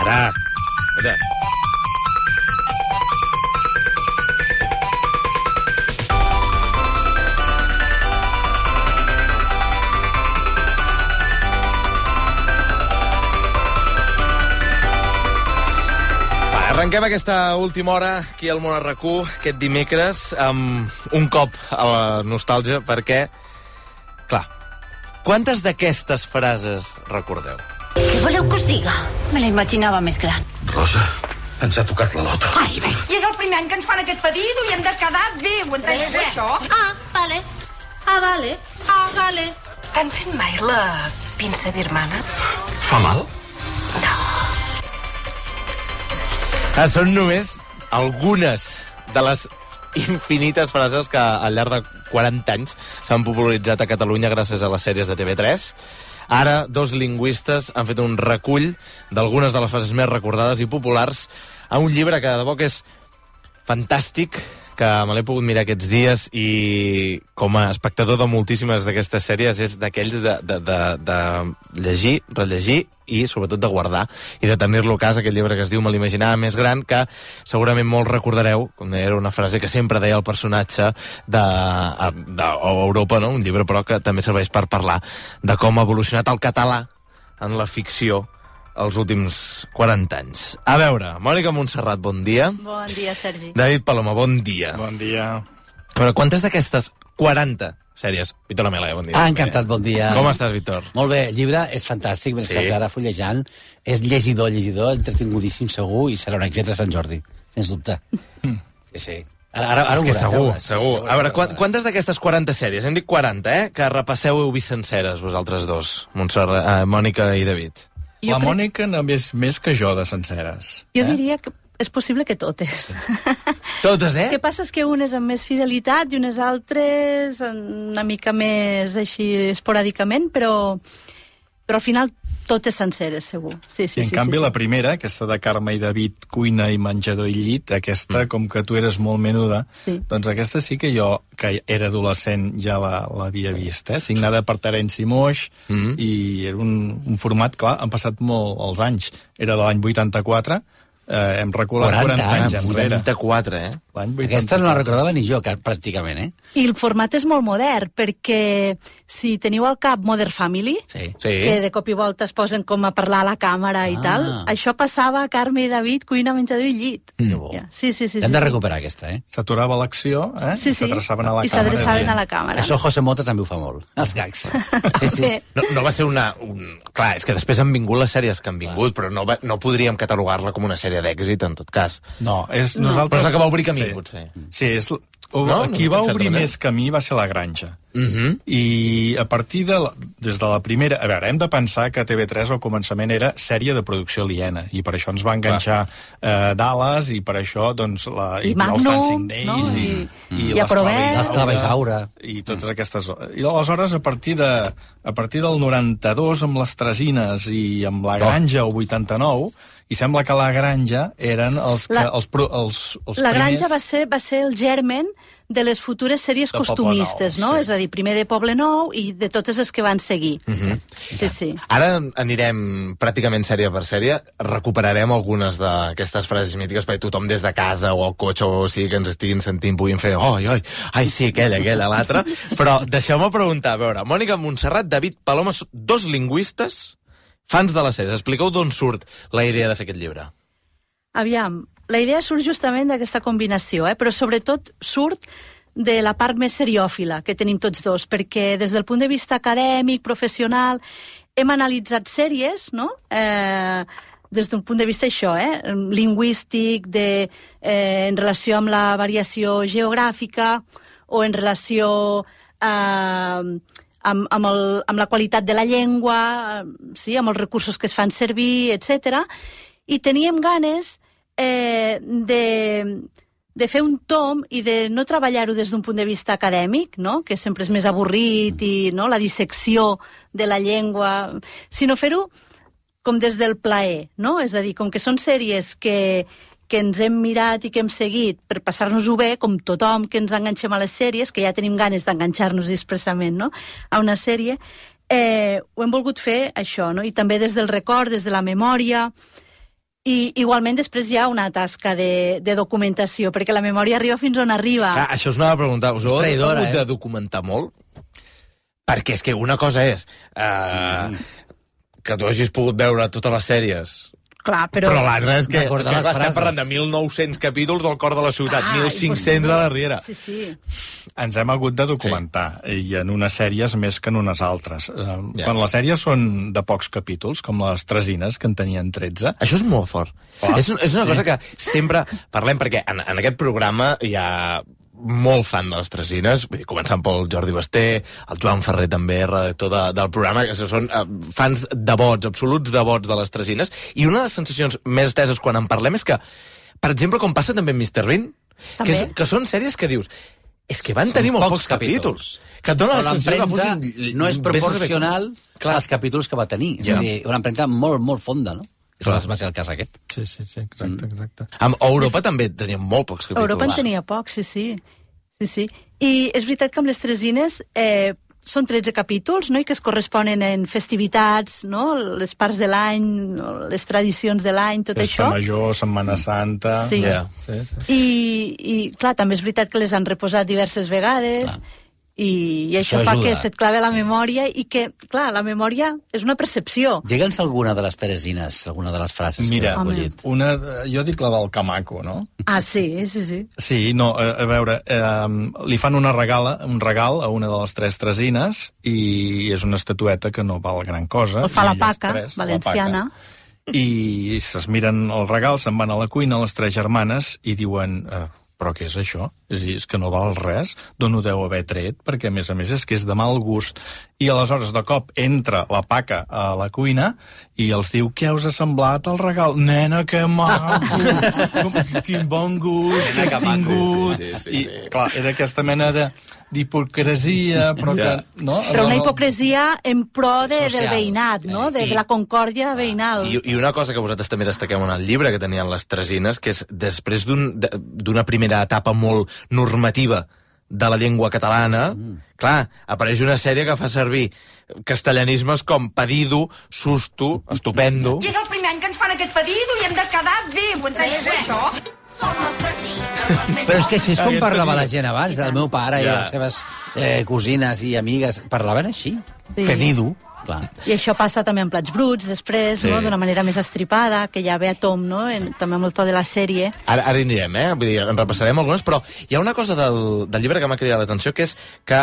Mira. Arrenquem aquesta última hora aquí al Món a RAC1, aquest dimecres, amb un cop a la nostàlgia, perquè, clar, quantes d'aquestes frases recordeu? Què voleu que us diga? Me la imaginava més gran. Rosa, ens ha tocat la loto. Ai, bé. I és el primer any que ens fan aquest pedido i hem de quedar bé, ho entens, això? Ah, vale. Ah, vale. Ah, vale. T'han fet mai la pinça birmana? Fa mal? Són només algunes de les infinites frases que al llarg de 40 anys s'han popularitzat a Catalunya gràcies a les sèries de TV3. Ara, dos lingüistes han fet un recull d'algunes de les frases més recordades i populars a un llibre que de debò que és fantàstic, que me l'he pogut mirar aquests dies i com a espectador de moltíssimes d'aquestes sèries és d'aquells de llegir, rellegir i sobretot de guardar i de tenir-lo a casa, aquest llibre que es diu Me l'imaginava més gran, que segurament molts recordareu, com era una frase que sempre deia el personatge d'Europa, no? Un llibre però que també serveix per parlar de com ha evolucionat el català en la ficció els últims 40 anys. A veure, Mònica Montserrat, bon dia. Bon dia, Sergi. David Paloma, bon dia. Bon dia. A veure, quantes d'aquestes 40 sèries... Víctor Lamela, bon dia. Encantat, bon dia. Com estàs, Víctor? Molt bé, el llibre és fantàstic, m'he estat ara fullejant. És llegidor, entretingutíssim segur, i serà un èxit a Sant Jordi, sens dubte. Sí. Ara és que veuràs, segur. A veure, quantes d'aquestes 40 sèries, hem dit 40, que repasseu heu vist senceres, vosaltres dos, Mònica i David? La Mònica n'ha vist més que jo de senceres. Jo diria que és possible que totes. Totes, El que passa és que unes amb més fidelitat i unes altres una mica més així esporàdicament, però al final totes senceres, segur. Sí, en canvi, la primera, aquesta de Carme i David, cuina i menjador i llit, aquesta, com que tu eres molt menuda, doncs aquesta sí que jo, que era adolescent, ja l'havia vist, signada per Terenci Moix, i era un format, clar, han passat molt els anys. Era de l'any 84, hem reculat 40 anys enrere. 84, Aquesta no la recordava ni jo, pràcticament, I el format és molt modern, perquè si teniu al cap Modern Family, que de cop i volta es posen com a parlar a la càmera i tal, això passava a Carme i David, cuina, menjador i llit. Sí. Hem de recuperar aquesta, S'aturava l'acció, i s'adreçaven a la càmera. I s'adreçaven a la càmera. Això José Mota també ho fa molt, els gags. Sí. No va ser Clar, és que després han vingut les sèries que han vingut, però no podríem catalogar-la com una sèrie d'èxit, en tot cas. No, és nosaltres... Però és la que va obrir camí, potser. Sí, qui va obrir més camí va ser La Granja. I a partir des de la primera... A veure, hem de pensar que TV3 al començament era sèrie de producció aliena, i per això ens va enganxar Dallas, i per això, doncs, i Magnum, i l'Esclava Isaura. I totes aquestes... I aleshores, a partir del 92, amb les Tresines i amb La Granja, el 89... I sembla que La Granja eren els primers... La Granja va ser el germen de les futures sèries costumistes, no? És a dir, primer de Poble Nou i de totes les que van seguir. Sí. Ara anirem pràcticament sèrie per sèrie, recuperarem algunes d'aquestes frases mítiques perquè tothom des de casa o al cotxe o sigui que ens estiguin sentint puguin fer ai, sí, aquella, l'altra. Però deixeu-me preguntar, a veure, Mònica Montserrat, David Paloma, dos lingüistes fans de les sèries. Expliqueu d'on surt la idea de fer aquest llibre. Aviam, la idea surt justament d'aquesta combinació, però sobretot surt de la part més seriòfila que tenim tots dos, perquè des del punt de vista acadèmic, professional, hem analitzat sèries, no?, des d'un punt de vista lingüístic, en relació amb la variació geogràfica o en relació amb la qualitat de la llengua, amb els recursos que es fan servir, etc. I teníem ganes de fer un tom i de no treballar-ho des d'un punt de vista acadèmic, no?, que sempre és més avorrit, i la dissecció de la llengua, sinó fer-ho com des del plaer, no? És a dir, com que són sèries que ens hem mirat i que hem seguit per passar-nos-ho bé, com tothom que ens enganxem a les sèries, que ja tenim ganes d'enganxar-nos expressament, no?, a una sèrie, ho hem volgut fer això, no?, i també des del record, des de la memòria, I igualment després hi ha una tasca de documentació, perquè la memòria arriba fins on arriba. Clar, això us anava a preguntar. Us heu hagut de documentar molt? Perquè és que una cosa és que tu hagis pogut veure totes les sèries... Clar, però l'altre és que estem parlant de 1.900 capítols del cor de la ciutat, 1.500 de la Riera. Sí. Ens hem hagut de documentar, i en unes sèries més que en unes altres. Quan les sèries són de pocs capítols, com les Tresines, que en tenien 13... Això és molt fort. És una cosa que sempre parlem, perquè en aquest programa hi ha molt fan de les Tresines, vull dir, començant pel Jordi Basté, el Joan Ferrer també, redactor del programa, que són fans devots, absoluts devots de les Tresines, i una de les sensacions més esteses quan en parlem és que, per exemple, com passa també amb Mr. Bean, que són sèries que dius, és que van tenir molt pocs capítols. Que et dona la sensació que fossin... No és proporcional als capítols que va tenir. És a dir, una empremta molt, molt fonda, no? Va ser el cas aquest. Sí, exacte. A Europa també tenien molt pocs capítols. Europa en tenia pocs, sí. I és veritat que amb les Tresines són 13 capítols, no?, i que es corresponen en festivitats, no?, les parts de l'any, les tradicions de l'any, tot això. Festa Major, Setmana Santa... Sí. I clar, també és veritat que les han reposat diverses vegades... I això fa que se't clave la memòria i que, clar, la memòria és una percepció. Digue'ns alguna de les Teresines, alguna de les frases que heu collit. Jo dic la del Camaco, no? Ah, sí. Sí, no, a veure, li fan un regal a una de les 3 Tresines i és una estatueta que no val gran cosa. El fa la Paca, valenciana. I es miren el regal, se'n van a la cuina, les 3 germanes, i diuen... Però què és això? És a dir, és que no val res, d'on ho deu haver tret, perquè a més és que és de mal gust. I aleshores, de cop, entra la Paca a la cuina i els diu, què us ha semblat el regal? Nena, que maco! Quin bon gust que has tingut! I, clar, era aquesta mena d'hipocresia, però que... No? Però una hipocresia en pro del veïnat, no? De la concòrdia veïnal. I una cosa que vosaltres també destaqueu en el llibre que tenien les Tresines, que és després d'una primera etapa molt normativa de la llengua catalana, clar, apareix una sèrie que fa servir castellanismes com pedido, susto, estupendo... I és el primer any que ens fan aquest pedido i hem de quedar bé, ho entens, això? Però és que així és com parlava la gent abans, el meu pare i les seves cosines i amigues parlaven així, pedido. Clar. I això passa també en Plats Bruts, després, no? D'una manera més estripada, que ja ve a tom, no? També amb el to de la sèrie. Ara hi anirem, Vull dir, en repassarem algunes, però hi ha una cosa del llibre que m'ha cridat l'atenció, que és que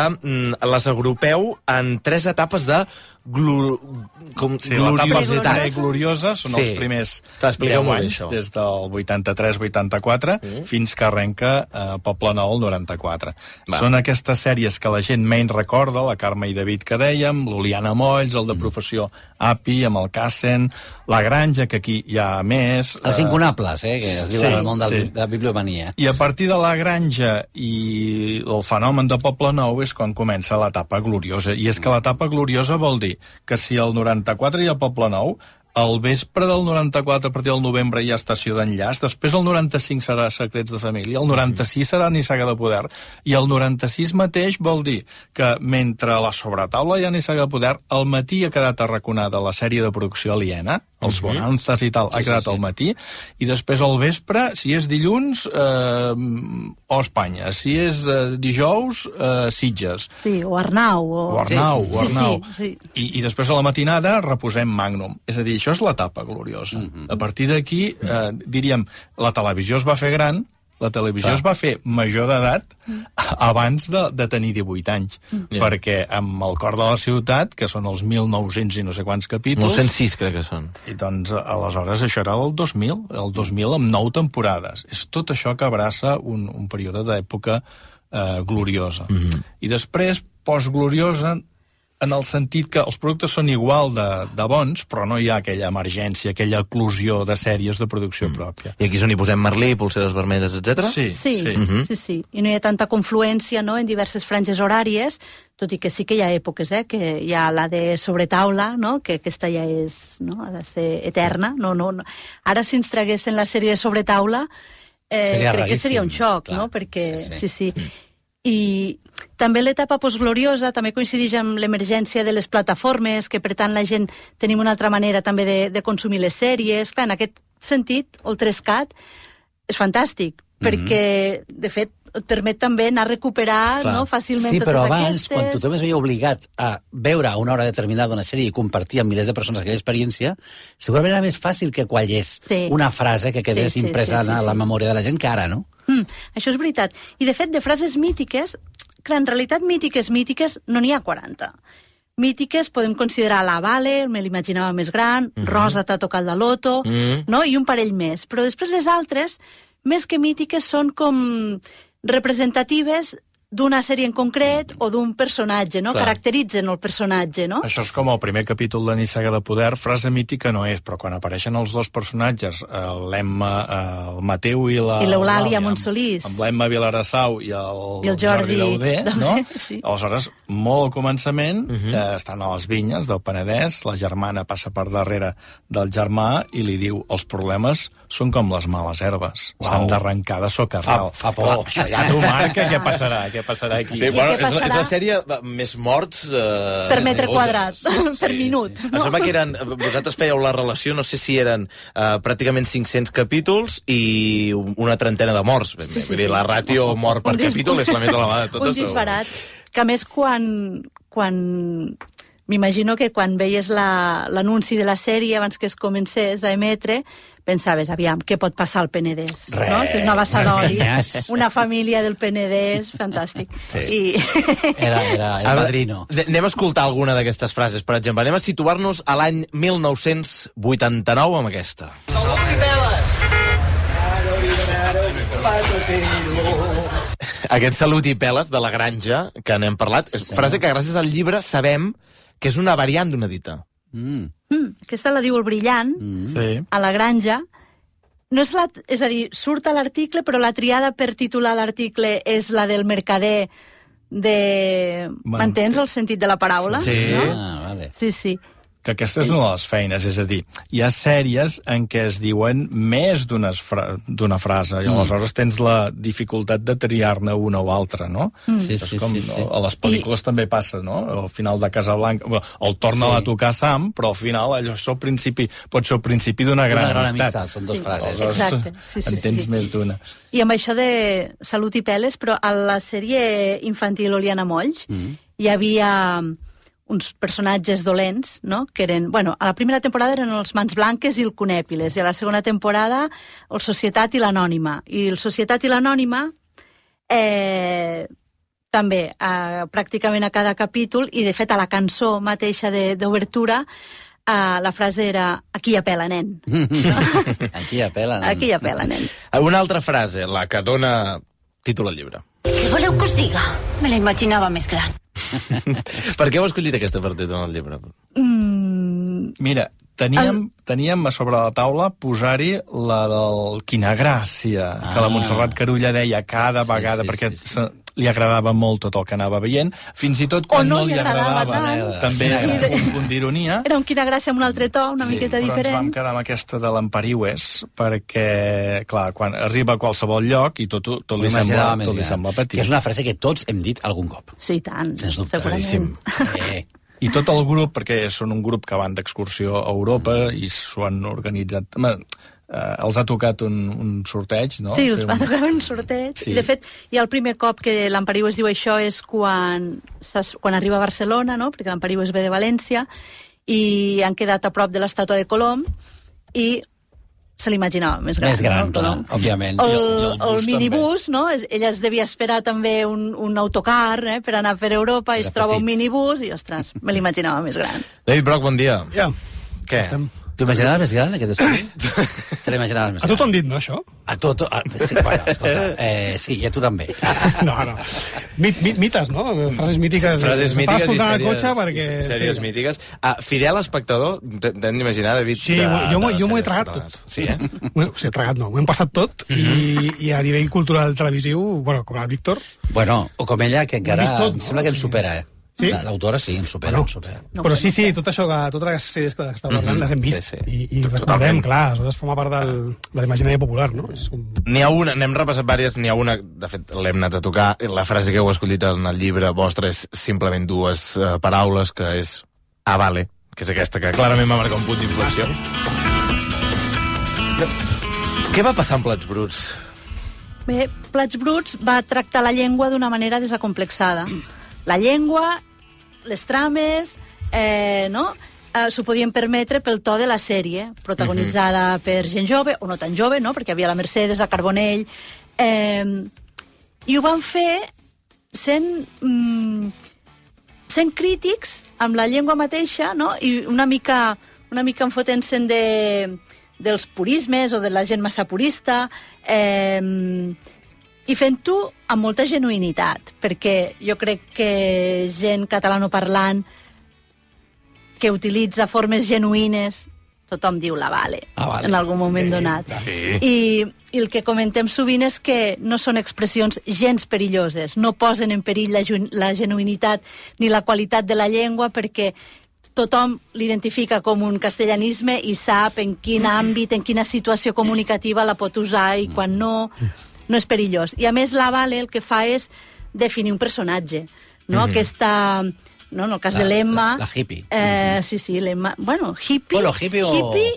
les agrupeu en 3 etapes de gloriositat. Gloriosa són els primers 10 anys, des del 83-84 fins que arrenca Poble Nou el 94. Són aquestes sèries que la gent menys recorda, la Carme i David que dèiem, l'Oliana Molls, el de professió API, amb el Cassen, la Granja, que aquí hi ha més... Els incunables, que es diu en el món de la bibliomania. I a partir de la Granja i el fenomen de Poble Nou és quan comença l'etapa gloriosa. I és que l'etapa gloriosa vol dir que si el 94 hi ha Poble Nou, al vespre del 94, a partir del novembre, hi ha Estació d'Enllaç, després el 95 serà Secrets de Família, el 96 serà Nissaga de Poder, i el 96 mateix vol dir que mentre a la sobretaula hi ha Nissaga de Poder, al matí ha quedat arraconada la sèrie de producció aliena, els Bonanzas i tal, ha quedat al matí, i després al vespre, si és dilluns, o Espanya, si és dijous, Sitges. Sí, o Arnau. O Arnau. Sí. I després a la matinada reposem Magnum. És a dir, això és l'etapa gloriosa. A partir d'aquí, diríem, la televisió es va fer gran, la televisió es va fer major d'edat abans de tenir 18 anys. Perquè amb el cor de la ciutat, que són els 1.900 i no sé quants capítols... 906 crec que són. I doncs, aleshores, això era el 2000. El 2000 amb 9 temporades. És tot això que abraça un període d'època gloriosa. I després, postgloriosa, en el sentit que els productes són igual de bons, però no hi ha aquella emergència, aquella eclosió de sèries de producció pròpia. I aquí és on hi posem Merlí, Polseres Vermelles, etc. Sí. I no hi ha tanta confluència, no?, en diverses franges horàries, tot i que sí que hi ha èpoques, que hi ha la de sobretaula, no?, que aquesta ja és, no?, ha de ser eterna. No. Ara, si ens traguessin la sèrie de sobretaula, crec que seria un xoc, no?, perquè... Sí. I també l'etapa postgloriosa també coincideix amb l'emergència de les plataformes, que per tant la gent tenim una altra manera també de consumir les sèries. Clar, en aquest sentit, el Trescat, és fantàstic, perquè, de fet, et permet també anar a recuperar fàcilment totes aquestes. Sí, però abans, quan tothom es veia obligat a veure a una hora determinada una sèrie i compartir amb milers de persones aquella experiència, segurament era més fàcil que quallés una frase que quedés impressada a la memòria de la gent que ara, no? Això és veritat. I, de fet, de frases mítiques, que en realitat mítiques no n'hi ha 40. Mítiques podem considerar la Vale, me l'imaginava més gran, Rosa t'ha tocat la loto, no? I un parell més. Però després les altres, més que mítiques, són com representatives d'una sèrie en concret o d'un personatge, no? Caracteritzen el personatge, no? Això és com el primer capítol de Nissaga de Poder, frase mítica no és, però quan apareixen els dos personatges, l'Emma, el Mateu i l'Eulàlia Montsolís, amb l'Emma Vilarassau i el Jordi Dauder, no? Aleshores, molt al començament, estan a les vinyes del Penedès, la germana passa per darrere del germà i li diu, els problemes són com les males herbes, s'han d'arrencar de socarral. Fa por. Això ja t'ho marca, què passarà aquí? Sí, bueno, és la sèrie més morts... per metre quadrat, per minut. Em sembla que eren... Vosaltres fèieu la relació, no sé si eren pràcticament 500 capítols i una trentena de morts. Vull dir, la ràtio mort per capítol és la més elevada de totes. Un disbarat. Que a més, quan m'imagino que quan veies l'anunci de la sèrie abans que es comencés a emetre, pensaves, aviam, què pot passar al Penedès? No? Si és una bassa d'oli, una família del Penedès, fantàstic. Sí. Era el padrino. Anem a escoltar alguna d'aquestes frases, per exemple. Anem a situar-nos a l'any 1989 amb aquesta. Salut i peles! Aquest salut i peles de la Granja, que n'hem parlat, és frase que gràcies al llibre sabem que és una variant d'una dita. Aquesta la diu el Brillant, a la Granja. No és és a dir, surt a l'article, però la triada per titular l'article és la del mercader de... M'entens el sentit de la paraula? Sí. No? Vale. Sí. Que aquesta és una de les feines, és a dir, hi ha sèries en què es diuen més d'una frase, i aleshores tens la dificultat de triar-ne una o altra, no? Sí. A les pel·lícules també passa, no? Al final de Casablanca, el torna a tocar Sam, però al final allò pot ser el principi d'una gran amistat. Són dues frases. Exacte. En tens més d'una. I amb això de Salut i peles, però a la sèrie infantil Oliana Molls hi havia uns personatges dolents, no? Que eren, a la primera temporada eren els Mans Blanques i el Conèpiles, i a la segona temporada el Societat i l'Anònima. I el Societat i l'Anònima també, pràcticament a cada capítol, i de fet a la cançó mateixa d'obertura, la frase era «Aquí hi ha pela, nen». Aquí hi ha pela, nen. Aquí hi ha pela, nen. Una altra frase, la que dona títol al llibre. Què voleu que us diga? Me la imaginava més gran. Per què heu escollit aquesta per títol al llibre? Mira, teníem a sobre la taula posar-hi la del Quina gràcia, que la Montserrat Carulla deia cada vegada, perquè li agradava molt tot el que anava veient, fins i tot quan no li agradava també un punt d'ironia. Era un Quina gràcia amb un altre to, una miqueta diferent. Però ens vam quedar amb aquesta de l'Empariues, perquè, clar, quan arriba a qualsevol lloc i tot li sembla petit. Que és una frase que tots hem dit algun cop. Sí, tant. Sens dubte. Segurament. I tot el grup, perquè són un grup que van d'excursió a Europa i s'ho han organitzat... els ha tocat un sorteig, no? Sí, els va tocar un sorteig. Sí. I, de fet, hi ha el primer cop que l'Empariu es diu això és quan arriba a Barcelona, no? Perquè l'Empariu es ve de València, i han quedat a prop de l'estàtua de Colom, i se l'imaginava més gran. Més gran, no? Clar, òbviament. El minibús, no? Ella es devia esperar també un autocar per anar per Europa, i es troba un minibús, i, ostres, me l'imaginava més gran. David Broc, bon dia. Ja. Què? T'ho imaginaves més gran, aquest estudi? Te l'imaginaves més gran? A tu t'ho han dit, no, això? A tu, sí, bueno, escolta, sí, i a tu també. No. Mites, no? Frases mítiques. Frases mítiques i sèries, cotxe perquè... sèries mítiques. Fidel espectador, t'hem d'imaginar, David... Sí, jo m'ho he tragat tot. Sí, eh? Sí, tragat no, m'ho hem passat tot, i a nivell cultural televisiu, com el Víctor... Bueno, o com ella, que encara em sembla que ens supera, Sí? L'autora sí, ens supera. No, però sí, tot això, totes les sèries que està parlant les hem vist. I recordem, clar, aleshores forma part de l'imaginari popular, no? N'hi ha una, n'hem repassat diverses, n'hi ha una, de fet, l'hem anat a tocar, la frase que heu escollit en el llibre vostre és simplement dues paraules, que és vale, que és aquesta, que clarament va marcar un punt d'inflexió. Què va passar amb Plats Bruts? Bé, Plats Bruts va tractar la llengua d'una manera desacomplexada. La llengua, les trames, no? S'ho podien permetre pel to de la sèrie, protagonitzada per gent jove, o no tan jove, no? Perquè hi havia la Mercedes, la Carbonell... I ho van fer sent crítics amb la llengua mateixa, no? I una mica enfotent-se'n dels purismes o de la gent massa purista, i fent-ho amb molta genuïnitat, perquè jo crec que gent catalanoparlant que utilitza formes genuïnes, tothom diu la vale, en algun moment donat. I el que comentem sovint és que no són expressions gens perilloses, no posen en perill la genuïnitat ni la qualitat de la llengua, perquè tothom l'identifica com un castellanisme i sap en quin àmbit, en quina situació comunicativa la pot usar i quan no és perillós. I a més la Vale el que fa és definir un personatge, no? Aquesta... No, en el cas de l'Emma... La hippie. Sí, l'Emma... Bueno, hippie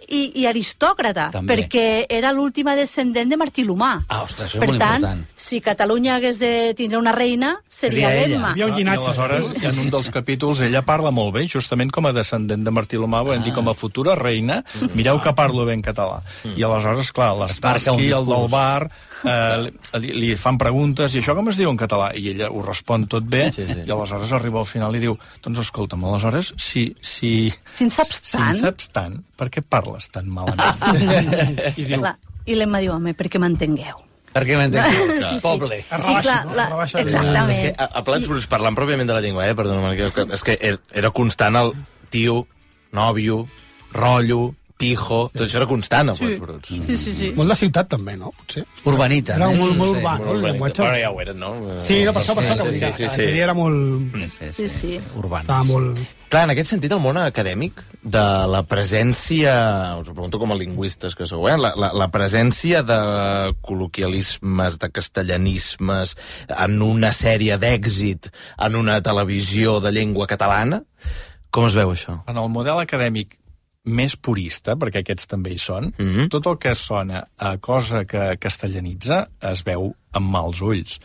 i aristòcrata, perquè era l'última descendent de Martí l'Humà. Ostres, això és molt important. Per tant, si Catalunya hagués de tindre una reina, seria l'Emma. I aleshores, en un dels capítols, ella parla molt bé, justament com a descendent de Martí l'Humà, volem dir, com a futura reina, mireu que parlo ben català. I aleshores, clar, l'Estarsky, el del bar, li fan preguntes, i això com es diu en català? I ella ho respon tot bé, i aleshores arriba al final i diu, doncs escolta'm, aleshores, si en saps tant, per què parles tan malament? I l'Emma diu, home, perquè m'entengueu. Perquè m'entengueu, poble. Exactament. A Plats Bruts, parlant pròpiament de la llengua, perdona, és que era constant el tio, nòvio, rotllo, pijo, tot això era constant a Plats Bruts. Sí. Molt de ciutat, també, no? Potser. Urbanita. Era molt urbà, no? El llenguatge. Però ja ho eren, no? Sí, no, per això, que la sèrie era molt... Sí. Urbana. Estava molt... Clar, en aquest sentit, el món acadèmic de la presència, us ho pregunto com a lingüistes que sou, la presència de col·loquialismes, de castellanismes en una sèrie d'èxit, en una televisió de llengua catalana, com es veu això? En el model acadèmic més purista, perquè aquests també hi són, tot el que sona a cosa que castellanitza es veu amb mals ulls.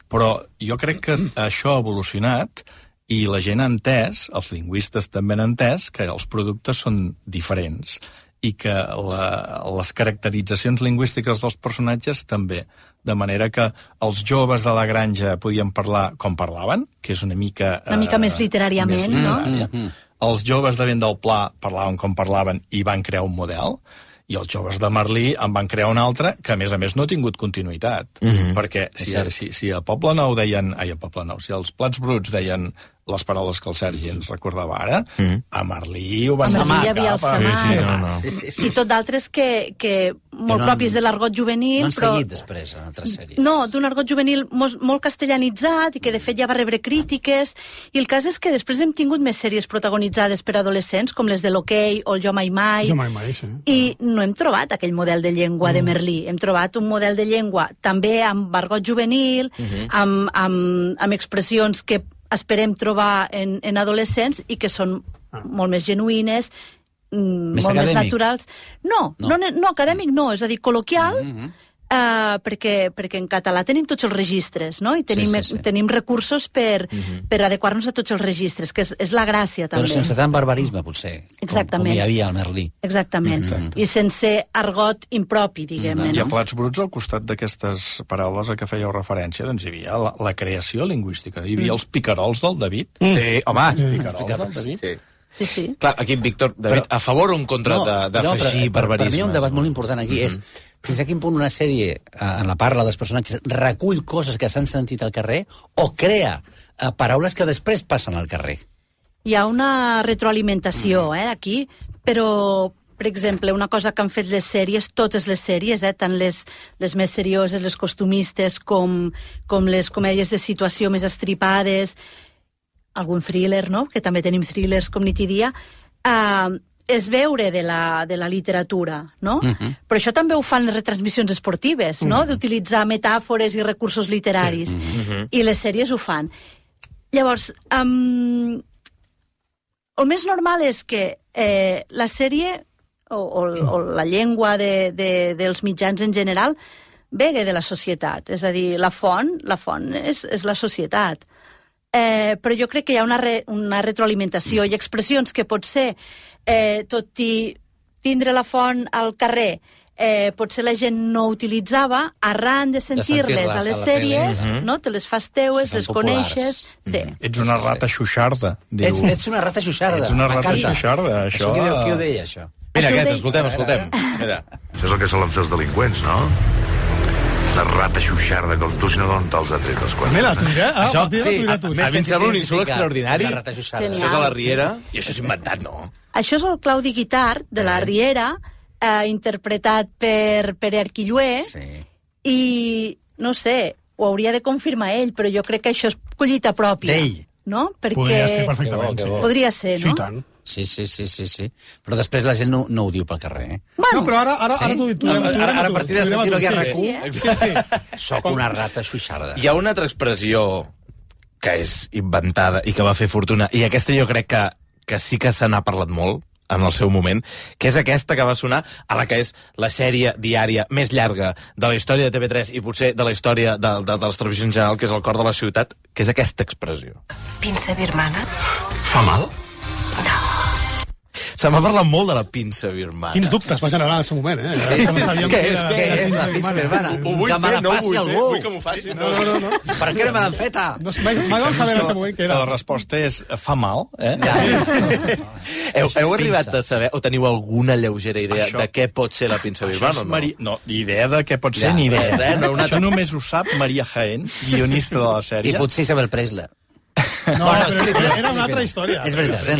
Però jo crec que això ha evolucionat i la gent ha entès, els lingüistes també han entès, que els productes són diferents i que les caracteritzacions lingüístiques dels personatges també. De manera que els joves de la granja podien parlar com parlaven, que és una mica més literàriament, no? Els joves de Vent del Pla parlaven com parlaven i van crear un model, i els joves de Merlí en van crear un altre que, a més, no ha tingut continuïtat. Perquè si a Poble Nou deien... Ai, a Poble Nou, si els Plats Bruts deien les paraules que el Sergi ens recordava ara, a Merlí ho van samar. A Merlí hi havia el samar. I tot d'altres que molt propis de l'argot juvenil... No han seguit després en altres sèries. No, d'un argot juvenil molt castellanitzat i que de fet ja va rebre crítiques. I el cas és que després hem tingut més sèries protagonitzades per adolescents, com les de l'Hoquei o el Jo Mai Mai. Jo Mai Mai, sí. I no hem trobat aquell model de llengua de Merlí. Hem trobat un model de llengua també amb argot juvenil, amb expressions que esperem trobar en adolescents i que són molt més genuïnes, molt més naturals. No, acadèmic no, és a dir, col·loquial, perquè en català tenim tots els registres, no? I tenim recursos per adequar-nos a tots els registres, que és la gràcia, també. Però sense tant barbarisme, potser, com hi havia al Merlí. Exactament, i sense argot impropi, diguem-ne, I a no? Plats Bruts, al costat d'aquestes paraules a què fèieu referència, doncs hi havia la creació lingüística, hi havia els picarols del David. Sí, home, els picarols del David. Sí. Clar, aquí en Víctor, David, a favor o en contra d'afegir barbarismes? Per mi hi ha un debat molt important aquí, és fins a quin punt una sèrie, en la parla dels personatges, recull coses que s'han sentit al carrer o crea paraules que després passen al carrer. Hi ha una retroalimentació, aquí, però, per exemple, una cosa que han fet les sèries, totes les sèries, tant les més serioses, les costumistes, com les comèdies de situació més estripades, algun thriller, no?, que també tenim thrillers com nit i dia, és veure de la literatura, no? Però això també ho fan les retransmissions esportives, no?, d'utilitzar metàfores i recursos literaris. I les sèries ho fan. Llavors, el més normal és que la sèrie o la llengua dels mitjans en general ve de la societat. És a dir, la font és la societat. Però jo crec que hi ha una retroalimentació i expressions que potser, tot i tindre la font al carrer, potser la gent no utilitzava, arran de sentir-les a les sèries, no? Te les fas teues, les coneixes... Sí. Ets una rata xuixarda, diu. Ets una rata xuixarda. Ets una rata xuixarda, això... Qui ho deia, això? Mira aquest, escoltem. Mira. Això és el que solen fer els delinqüents, no? La rata xuixarda com tu, si no d'on te'ls ha tret els quadres. Mira, tu diré, Això, a mi em sembla un insult extraordinari. Això és a la Riera, i això és inventat, no? Això és el Claudi Guitart, de la Riera, interpretat per Pere Arquillué, i, no sé, ho hauria de confirmar ell, però jo crec que això és collita pròpia. D'ell. No? Perquè... Podria ser perfectament, sí. Podria ser, no? Sí, tant. Sí. Però després la gent no ho diu pel carrer, eh? Bueno, no, però ara t'ho dic. Ara a partir de l'estil que RAC1... Sí. Soc una rata xuixarda. Hi ha una altra expressió que és inventada i que va fer fortuna, i aquesta jo crec que sí que se n'ha parlat molt en el seu moment, que és aquesta que va sonar a la que és la sèrie diària més llarga de la història de TV3 i potser de la història de les televisions en general, que és El cor de la ciutat, que és aquesta expressió. Pinça birmana? Fa mal? Se m'ha parlat molt de la pinça birmana. Quins dubtes va generar en el seu moment, eh? Què és la pinça birmana? Ho vull fer, no ho vull fer. Vull que m'ho faci. No. Per què no me l'han feta? Mai vam saber en el seu moment què era. La resposta és fa mal, eh? Heu arribat a saber, o teniu alguna lleugera idea de què pot ser la pinça birmana o no? No, idea de què pot ser, ni idea. Això només ho sap Maria Jaén, guionista de la sèrie. I potser Isabel Preisler. No, però era una altra història. És veritat. Ell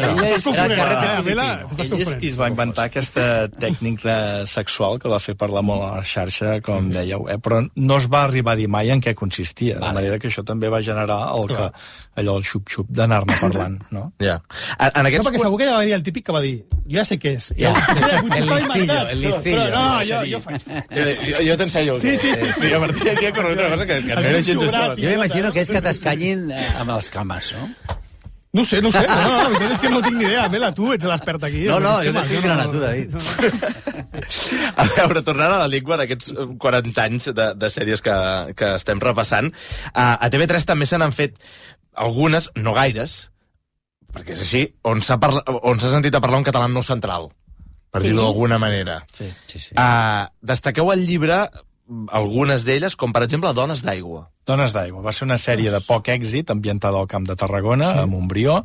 és qui es va inventar aquesta tècnica sexual que va fer parlar molt a la xarxa, com dèieu, però no es va arribar a dir mai en què consistia, de manera que això també va generar allò, el xup-xup d'anar-ne parlant, no? Ja. No, perquè segur que hi va haver el típic que va dir, jo ja sé què és. El listillo. No, jo faig. Jo t'ensenyo. Sí. A partir d'aquí ha corregut una cosa que no era gens això. Jo m'imagino que és que t'escanyin amb els cames, no? No sé. No, la veritat és que no tinc ni idea. Mela, tu ets l'expert aquí. No, jo t'estic mirant a tu, David. A veure, tornant a la llengua d'aquests 40 anys de sèries que estem repassant, a TV3 també se n'han fet algunes, no gaires, perquè és així, on s'ha sentit a parlar un català no central, per dir-ho d'alguna manera. Sí. Destaqueu al llibre algunes d'elles, com per exemple Dones d'aigua. Dones d'aigua. Va ser una sèrie de poc èxit ambientada al Camp de Tarragona, a Montbrió,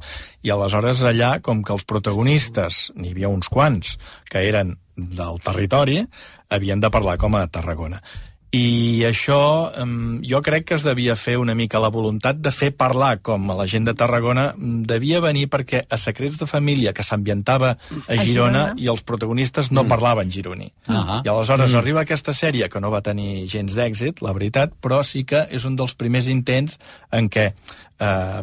i aleshores allà, com que els protagonistes, n'hi havia uns quants, que eren del territori, havien de parlar com a Tarragona. I això jo crec que es devia fer una mica la voluntat de fer parlar com a la gent de Tarragona devia venir perquè a Secrets de Família, que s'ambientava a Girona, i els protagonistes no parlaven gironí. I aleshores arriba aquesta sèrie que no va tenir gens d'èxit, la veritat, però sí que és un dels primers intents en què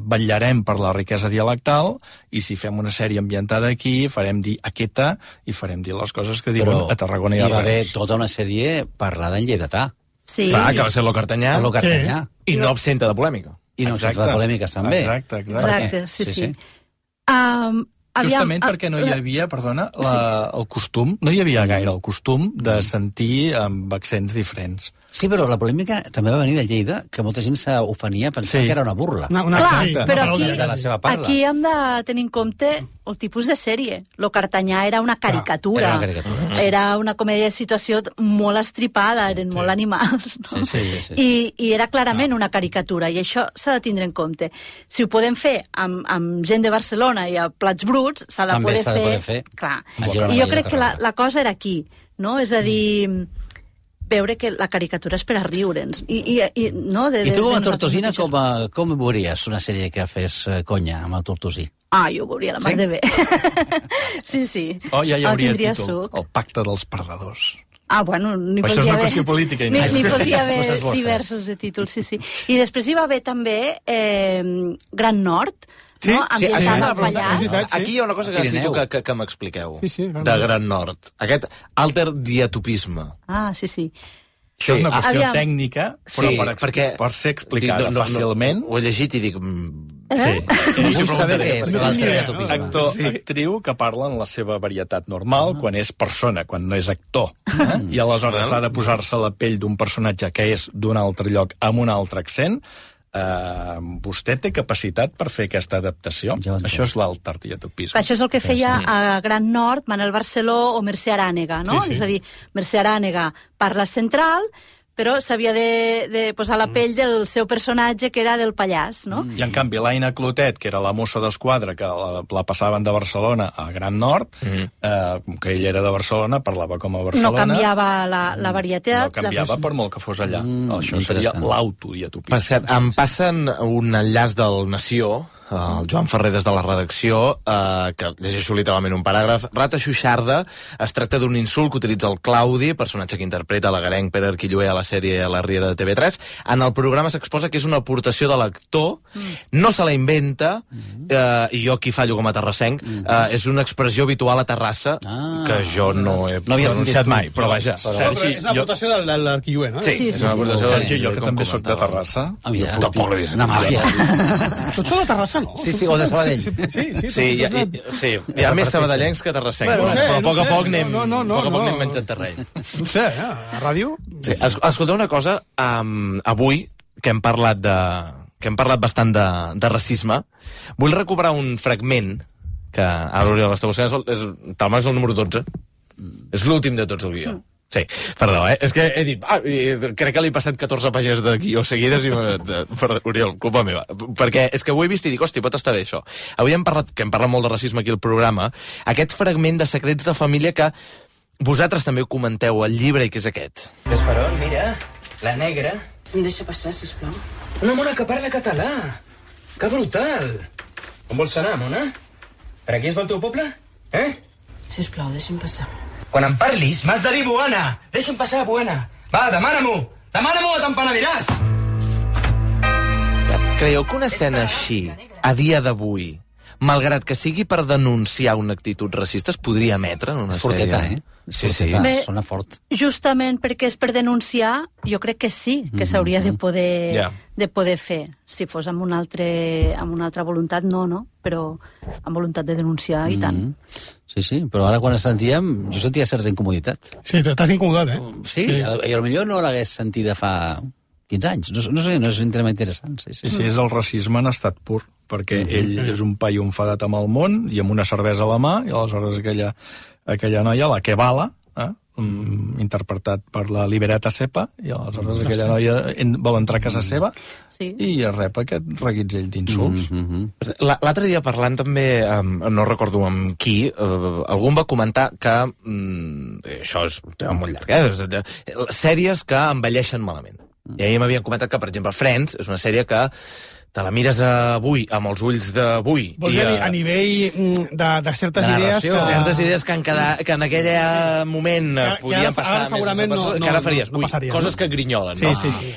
vetllarem per la riquesa dialectal i si fem una sèrie ambientada aquí farem dir aquesta i farem dir les coses que diuen a Tarragona i a Reus. Hi va haver tota una sèrie parlada en lleidatà. Sí. Clar, que va ser lo cartanyà. I no absenta de polèmica. I no absenta de polèmiques, també. Exacte, sí. Justament perquè no hi havia, el costum, no hi havia gaire el costum de sentir amb accents diferents. Sí, però la polèmica també va venir de Lleida, que molta gent s'ofenia pensant que era una burla. Clar, però aquí hem de tenir en compte el tipus de sèrie. Lo cartanyà era una caricatura. Era una comèdia de situació molt estripada, eren molt animals. I era clarament una caricatura, i això s'ha de tindre en compte. Si ho podem fer amb gent de Barcelona i a Plats Bruts, s'ha de poder fer. Clar. I jo crec que la cosa era aquí, no? És a dir, veure que la caricatura és per a riure'ns. I tu com a tortosina com veuries una sèrie que fes conya amb el tortosí? Jo ho veuria la mar de bé. Sí. Ja hi hauria títol, El pacte dels perdedors. Bueno, n'hi això és una qüestió política. N'hi podria haver diversos de títols, sí. I després hi va haver també Gran Nord, ambientada al Pallars. Aquí hi ha una cosa que necessito que m'expliqueu, de Gran Nord. Aquest alterdiatopisme. Sí. Això és una qüestió tècnica, però per ser explicada fàcilment. Ho he llegit i dic... Sí. Vull saber què és l'estereotipisme. Actor, actriu que parla en la seva varietat normal quan és persona, quan no és actor. I aleshores s'ha de posar-se la pell d'un personatge que és d'un altre lloc amb un altre accent. Vostè té capacitat per fer aquesta adaptació? Això és l'alterdiatopisme. Això és el que feia a Gran Nord Manel Barceló o Mercè Arànega, no? És a dir, Mercè Arànega parla central, però s'havia de posar la pell del seu personatge, que era del pallàs, no? I, en canvi, l'Aina Clotet, que era la mossa d'esquadra, que la passaven de Barcelona a Gran Nord, que ell era de Barcelona, parlava com a Barcelona... No canviava la varietat. No canviava per molt que fos allà. Això seria l'autodiatopisme. Per cert, em passen un enllaç del Nació, el Joan Ferrer des de la redacció, que llegeixo literalment un paràgraf. Rata Xuixarda es tracta d'un insult que utilitza el Claudi, personatge que interpreta l'agarenc Pere Arquilloé a la sèrie La Riera de TV3. En el programa s'exposa que és una aportació de l'actor, no se la inventa, i jo aquí fallo com a terrassenc, és una expressió habitual a Terrassa, que jo no he pronunciat mai, però vaja. Sergi, és l'aportació de l'Arquilloé, no? Sí, és una aportació de Sergi, jo que també soc de Terrassa. Una màfia. Tots són de Terrassa, no? Sí, o de Sabadell. Sí, hi ha més sabadellencs que terrassencs, però a poc a poc anem menjant terreny. No sé, a ràdio... Escolta una cosa, avui, que hem parlat bastant de racisme, vull recuperar un fragment que ara Oriol està buscant, talment és el número 12. És l'últim de tots el guió. Sí, perdó, és que he dit... crec que li he passat 14 pàgines de guió seguides i... Perdó, Oriol, culpa meva. Perquè és que ho he vist i dic, hosti, pot estar bé això. Avui hem parlat molt de racisme aquí al programa, aquest fragment de Secrets de Família que vosaltres també ho comenteu al llibre i que és aquest. Gasparón, mira, la negra... Em deixa passar, sisplau. Una mona que parla català. Que brutal. On vols anar, mona? Per aquí es vol el teu poble? Sisplau, deixa'm passar. Quan em parlis, m'has de dir Buana. Deixa'm passar, Buana. Va, demana-m'ho. Demana-m'ho o te'n penediràs. Creieu que una escena així, a dia d'avui, malgrat que sigui per denunciar una actitud racista, es podria emetre en una sèrie? Forteta, Sí. Sona fort. Justament perquè és per denunciar, jo crec que sí, que s'hauria de poder fer. Si fos amb una altra voluntat, no, però amb voluntat de denunciar, i tant. Sí, però ara quan sentíem, jo sentia certa incomoditat. Sí, t'has incomodat, Sí, i potser no l'hagués sentit fa 15 anys. No sé, no és un tema interessant. Sí, és el racisme en estat pur, perquè ell és un paio enfadat amb el món i amb una cervesa a la mà, i aleshores aquella noia, la que bala, interpretat per la Liberata Sepa, i aleshores aquella noia vol entrar a casa seva i rep aquest reguitzell d'insults. L'altre dia parlant també, no recordo amb qui, algú em va comentar que, això és un tema molt llarg, sèries que envelleixen malament. I ahir m'havien comentat que, per exemple, Friends és una sèrie que te la mires avui, amb els ulls d'avui. Vols dir a nivell de certes idees que... Certes idees que en aquell moment podien passar més, que ara faries. Coses que grinyolen, no? Sí.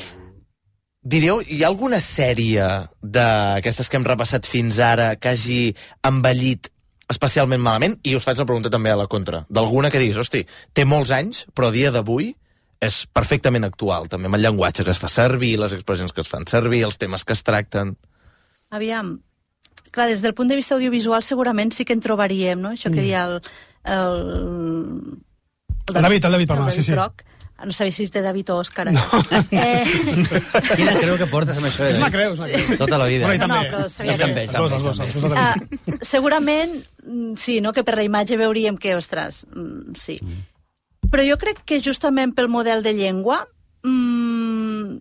Diríeu, hi ha alguna sèrie d'aquestes que hem repassat fins ara que hagi envellit especialment malament? I us faig la pregunta també a la contra. D'alguna que diguis, hosti, té molts anys, però a dia d'avui és perfectament actual, també amb el llenguatge que es fa servir, les expressions que es fan servir, els temes que es tracten. Aviam, clar, des del punt de vista audiovisual segurament sí que en trobaríem, no? Això que deia el David, perdona, sí. No sabia si és de David o Òscar. No. Quina creu que portes amb això? És una creu. Tota la vida. Però sabia que... Segurament, sí, no? Que per la imatge veuríem que, ostres, sí. Però jo crec que justament pel model de llengua... Han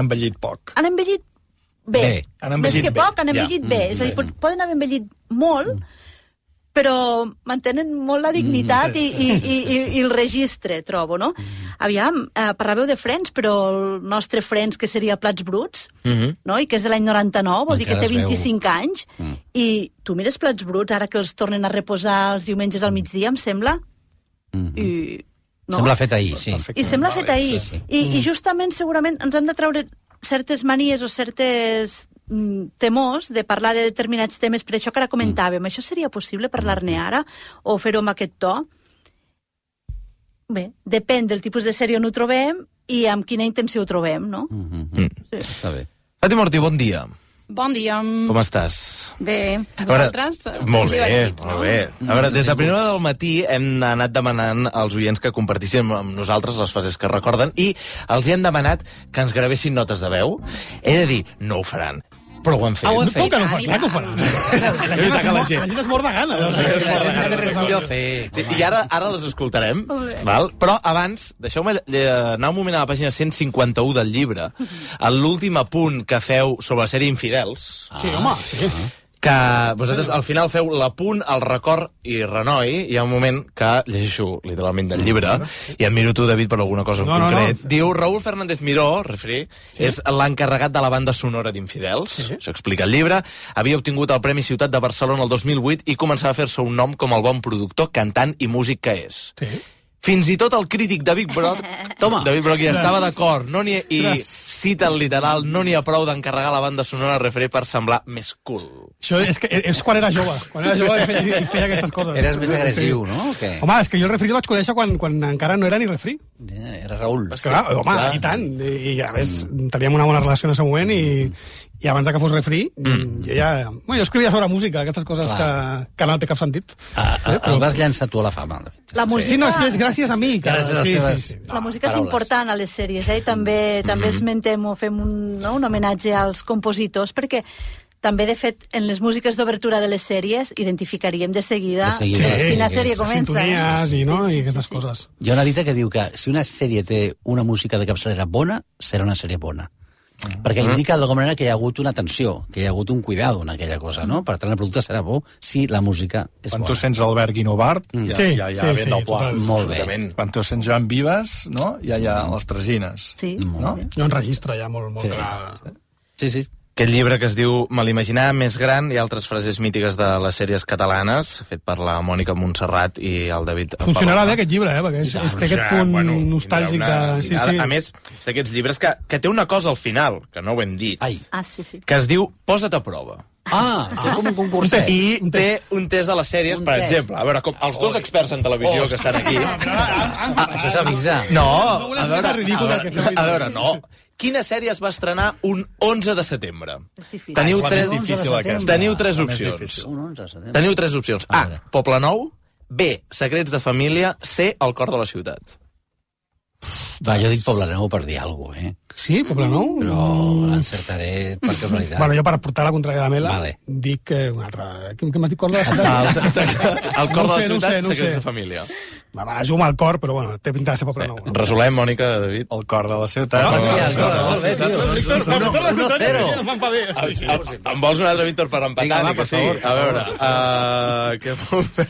envellit poc. Han envellit bé. Més que poc, han envellit bé. És a dir, poden haver envellit molt, però mantenen molt la dignitat i el registre, trobo, no? Aviam, parlàveu de Friends, però el nostre Friends, que seria Plats Bruts, no? I que és de l'any 99, vol dir que té 25 anys, i tu mires Plats Bruts, ara que els tornen a reposar els diumenges al migdia, em sembla... Sembla fet ahir, sí. I sembla fet ahir. I justament, segurament, ens hem de treure certes manies o certes temors de parlar de determinats temes, per això que ara comentàvem. Això seria possible parlar-ne ara o fer-ho amb aquest to? Bé, depèn del tipus de sèrie on ho trobem i amb quina intenció ho trobem, no? Està bé. Fàtima Ortí, bon dia. Bon dia. Com estàs? Bé, vosaltres? Molt bé, molt bé. A veure, des de primera hora del matí hem anat demanant als oients que compartissin amb nosaltres les frases que recorden i els hi hem demanat que ens gravessin notes de veu. He de dir, no ho faran, però ho han fet. Ho han fet. Clar que ho faran. La gent es mor de gana. I ara les escoltarem, val? Però abans, deixeu-me anar un moment a la pàgina 151 del llibre, a l'últim apunt que feu sobre la sèrie Infidels. Sí, home, sí. Que vosaltres al final feu l'apunt, el record i renoi. Hi ha un moment que llegeixo literalment del llibre i admiro tu, David, per alguna cosa en concret. Diu, Raúl Fernández Miró, refri, és l'encarregat de la banda sonora d'Infidels. Això explica el llibre. Havia obtingut el Premi Ciutat de Barcelona el 2008 i començava a fer-se un nom com el bon productor, cantant i músic que és. Fins i tot el crític David Brock ja estava d'acord. I cita el literal, no n'hi ha prou d'encarregar la banda sonora referent per semblar més cool. Això és quan era jove. Quan era jove i feia aquestes coses. Eres més agressiu, no? Home, és que jo el refri el vaig conèixer quan encara no era ni refri. Era Raül. Clar, home, i tant. I a més, teníem una bona relació en aquest moment i abans que fos refri, jo escrivia sobre música, aquestes coses que no té cap sentit. El vas llançar tu a la fama, David. La música... Sí, no, és que és gràcies a mi. La música és important a les sèries, i també esmentem o fem un homenatge als compositors, perquè també, de fet, en les músiques d'obertura de les sèries identificaríem de seguida quina sèrie comença. Sintonies i aquestes coses. Hi ha una dita que diu que si una sèrie té una música de capçalera bona, serà una sèrie bona. Perquè indica d'alguna manera que hi ha hagut una atenció, que hi ha hagut un cuidado en aquella cosa, no? Per tant, el producte serà bo si la música és bona. Quan tu sents Albert Guinovart, ja ve del pla. Molt bé. Quan tu sents Joan Vives, no? Ja hi ha les tresines. Sí. No? Hi ha un registre ja molt clar. Sí. Aquest llibre que es diu Me l'imaginava més gran i altres frases mítiques de les sèries catalanes, fet per la Mònica Montserrat i el David... Funcionarà bé aquest llibre, perquè té aquest punt nostàlgic de... A més, és d'aquests llibres que té una cosa al final, que no ho hem dit, sí. que es diu Posa't a prova. Té com un concurs. I té un test de les sèries, per exemple. A veure, com els dos experts en televisió que estan aquí... Això s'avisa. No, a veure, no. Quina sèrie es va estrenar un 11 de setembre? Teniu tres opcions. Teniu tres opcions. A, Poble Nou. B, Secrets de família. C, El cor de la ciutat. Va, jo dic Poble Nou per dir alguna cosa, Sí, Poble Nou? Però l'encertaré per casualitat. Bueno, jo per portar la contrària a la Mela dic un altre... Què m'has dit, cor de la ciutat? El cor de la ciutat, Secrets de família. Va, jugo amb el cor, però bueno, té pinta de ser Poble Nou. Resolem, Mònica, David. El cor de la ciutat. Hòstia, el cor de la ciutat. 1-0. Em vols un altre Víctor per empatar? A veure, què vol fer?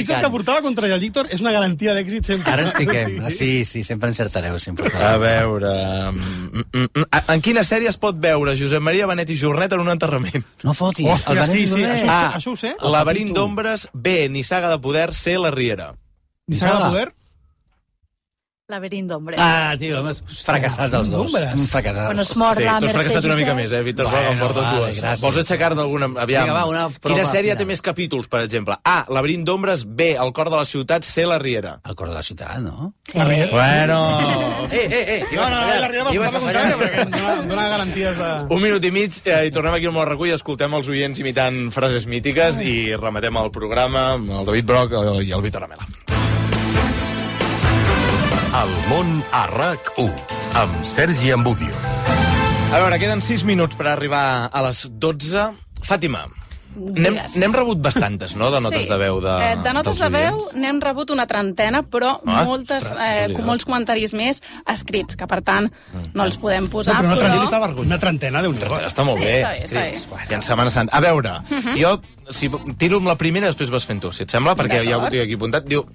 Fixa't que portar la contrària al Víctor és una garantia d'èxit sempre. Ara expliquem. Sí, sempre encertareu. A veure... En quina sèrie es pot veure Josep Maria Benet i Jornet en un enterrament? No fotis. Hòstia, sí, això ho sé. Laberint d'ombres. B, Nissaga de poder. C, La Riera. Nissaga de poder? Laberint d'ombres. Tio, hem fracassat els dos. Fracassat. Quan es mor la tu has fracassat una mica més, Víctor. Em portes dues. Vols aixecar d'alguna... Aviam. Quina sèrie té més capítols, per exemple? A, Laberint d'ombres. B, El cor de la ciutat. C, La Riera. El cor de la ciutat, no? La Riera. Bueno... La Riera va posar la contrària perquè em dona garanties de... Un minut i mig i tornem aquí al Món Recull, escoltem els oients imitant frases mítiques i rematem el programa amb el David Brock i el Víctor Amela. El món a RAC1, amb Sergi Ambudio. A veure, queden 6 minuts per arribar a les 12. Fàtima, n'hem rebut bastantes, no?, de notes de veu de notes de veu n'hem rebut una trentena, però molts comentaris més escrits, que per tant no els podem posar. Una trentena, Déu-n'hi-do. Està molt bé, escrits. I en Setmana Santa. A veure, jo tiro amb la primera i després vas fent tu, si et sembla, perquè ja ho tinc aquí apuntat. Diu...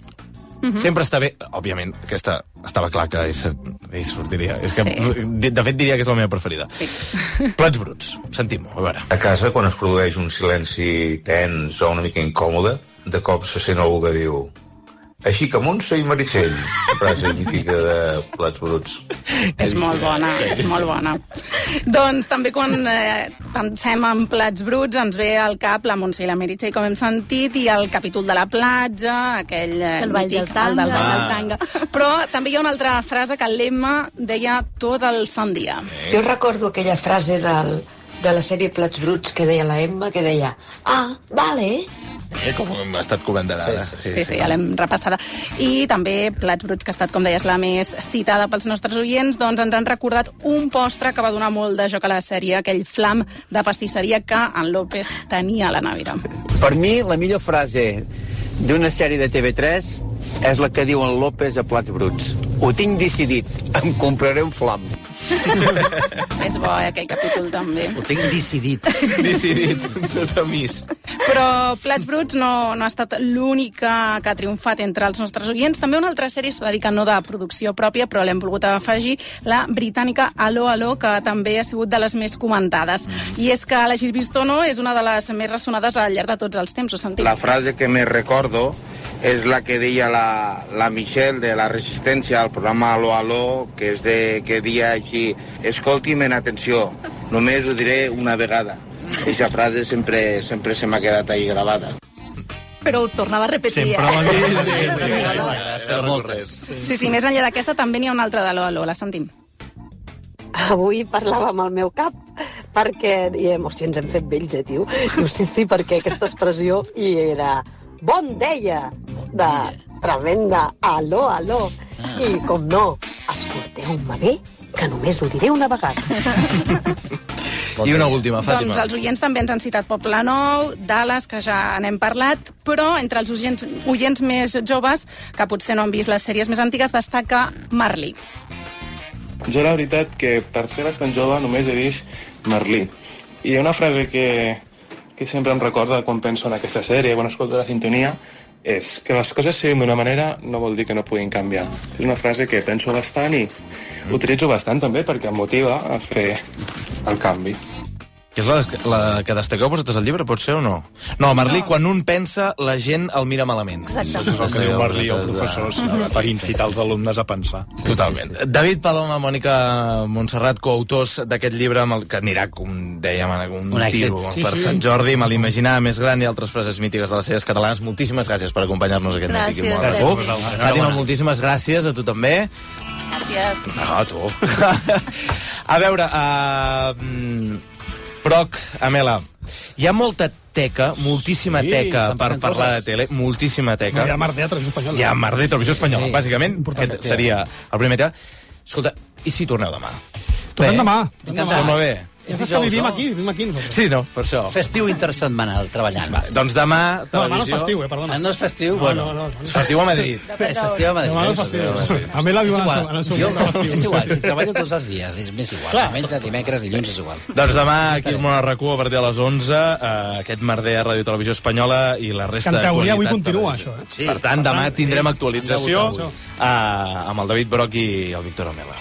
Sempre està bé, òbviament, aquesta estava clar que hi sortiria. És que, de fet, diria que és la meva preferida. Plats bruts, sentim-ho, a veure. A casa, quan es produeix un silenci tens o una mica incòmode, de cop se sent algú que diu així que Montse i Meritxell, frase mítica de Plats bruts. És molt bona, és molt bona. Doncs també quan pensem en Plats bruts ens ve al cap la Montse i la Meritxell, com hem sentit, i el capítol de la platja, aquell mític, el del ball del tanga. Però també hi ha una altra frase que l'Emma deia tot el sant dia. Jo recordo aquella frase del de la sèrie Plats Bruts que deia la Emma, que deia vale. Com hem estat comentant ara. Sí, ja l'hem repassada. I també Plats Bruts, que ha estat, com deies, la més citada pels nostres oients, doncs ens han recordat un postre que va donar molt de joc a la sèrie, aquell flam de pastisseria que en López tenia a la nevera. Per mi, la millor frase d'una sèrie de TV3 és la que diu en López a Plats Bruts. Ho tinc decidit, em compraré un flam. És bo, aquell capítol, també. Ho tinc decidit. Decidit, tot a mis. Però Plats Bruts no ha estat l'única que ha triomfat entre els nostres oients. També una altra sèrie s'ha dedicat no de producció pròpia, però l'hem volgut afegir, la britànica Aló, Aló, que també ha sigut de les més comentades. I és que l'hagis vist o no és una de les més ressonades al llarg de tots els temps, ho sentim. La frase que me recordo és la que deia la Michelle de la Resistència al programa Aló, Aló, que deia així: escolti'm en atenció, només ho diré una vegada. Aquesta frase sempre se m'ha quedat ahí gravada. Però ho tornava a repetir. Sí, més enllà d'aquesta també n'hi ha una altra d'Aló, Aló, la sentim. Avui parlava amb el meu cap, perquè diem, hòstia, ens hem fet vells, tio. Diu, sí, perquè aquesta expressió hi era bon dia, de tremenda aló, aló. I, com no, escolteu-me bé, que només ho diré una vegada. I una última, Fàtima. Doncs els oients també ens han citat Poble Nou, Dallas, que ja n'hem parlat, però entre els oients més joves, que potser no han vist les sèries més antigues, destaca Merlí. Jo la veritat que per ser bastant jove només he vist Merlí. I hi ha una frase que sempre em recorda quan penso en aquesta sèrie, quan escolto la sintonia, és que les coses siguin d'una manera no vol dir que no puguin canviar. És una frase que penso bastant i utilitzo bastant també perquè em motiva a fer el canvi. Que és la que destaqueu vosaltres al llibre, pot ser o no? No, Merlí, quan un pensa, la gent el mira malament. Exacte. Això és el que diu Merlí al professor, per incitar els alumnes a pensar. Totalment. David Paloma, Mònica Montserrat, coautors d'aquest llibre, que anirà, com dèiem, un tiro per Sant Jordi, me l'imaginava més gran i altres frases mítiques de les sèries catalanes. Moltíssimes gràcies per acompanyar-nos aquest matí. Fàtima, moltíssimes gràcies, a tu també. Gràcies. A tu. A veure, Proc, Amela, hi ha molta teca, moltíssima teca per parlar de tele, moltíssima teca. Hi ha merder a Televisió Espanyola. Hi ha merder a Televisió Espanyola, bàsicament. Aquest seria el primer tema. Escolta, i si torneu demà? Tornem demà. Sembla bé. És que vivim aquí nosaltres. Sí, no, per això. Festiu intersetmanal, treballant. Doncs demà, televisió... No, demà no és festiu, perdona. No és festiu? Bueno, és festiu a Madrid. És festiu a Madrid. Demà no és festiu. A mi la viu en el seu festiu. És igual, si treballo tots els dies, és més igual. Diumenge, dimecres, dilluns, és igual. Doncs demà, aquí al Món RAC1, a partir de les 11, aquest merder a Ràdio Televisió Espanyola i la resta d'actualitat. Que en teoria avui continua, això. Per tant, demà tindrem actualització amb el David Broc i el Víctor Amela.